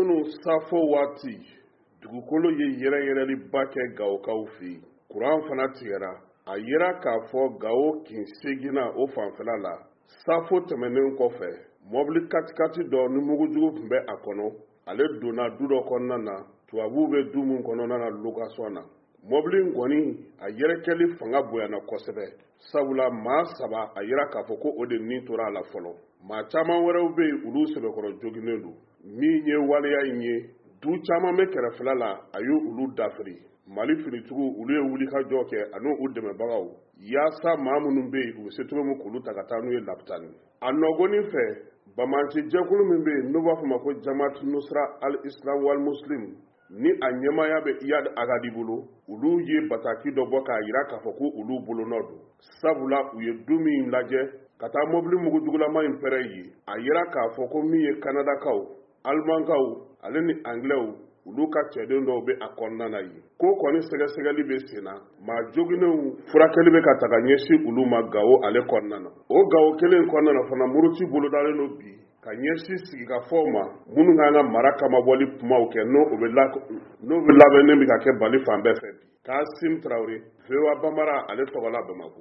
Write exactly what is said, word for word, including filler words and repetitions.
Kunun safo waati, dugukolo ye yɛrɛyɛrɛliba kɛ Gawokaw fɛ yen. Kuran fana tigɛra. A yera k'a fɔ Gawo kin seginna o fanfɛla la, safo tɛmɛnen kɔfɛ, mɔbili katikati dɔ ni mugujugu tun bɛ a kɔnɔ, ale donna du dɔ kɔnɔna na, tubabuw bɛ du min kɔnɔna na location na. Mɔbili in kɔni, a yɛrɛkɛli fanga bonyana kosɛbɛ, sabula maa saba, a yira k'a fɔ ko o de ni tora a la fɔlɔ. Maa caman wɛrɛw bɛ yen, olu sɛbɛkɔrɔ joginnen don. Min ye waleya in ye, du caman bɛ kɛrɛfɛla la, a ye olu dafiri. Mali finitigiw, olu ye wulikajɔ kɛ ani u dɛmɛbagaw, yaasa maa minnu bɛ yen, u bɛ se cogo min k'olu ta ka taa n'u ye lapitani. A nɔgɔnin fɛ, banbaanci jɛkulu min bɛ yen n'u b'a fɔ ma ko Jamaat Nusra al Islam wal Muslim, ni a ɲɛmaaya bɛ Iyad Ag Ghali bolo, olu ye bataki dɔ bɔ k'a jira k'a fɔ ko olu bolonɔ don, sabula u ye du min lajɛ ka taa mobili mugujugulama in pɛrɛn yen, a yira k'a fɔ ko min ye Kanadakaw, Alimankaw ale ni Angilɛw, olu ka cɛden dɔw bɛ a kɔnɔna na yen. Ko kɔni sɛgɛsɛgɛli bɛ sen na, maa joginnenw furakɛli bɛ ka taga ɲɛsin olu ma Gawo ale kɔnɔna na. O Gawo kelen kɔnɔna na fana, muruti bolodalen don bi ka ɲɛsin sigikafɔw ma minnu kan ka mara kamabɔli kumaw kɛ, n'o bɛ n'o bɛ labɛnnen bɛ ka kɛ Bali fan bɛɛ fɛ bi. Kasim Tarawele, V O A Bambara ale tɔgɔ la Bamakɔ.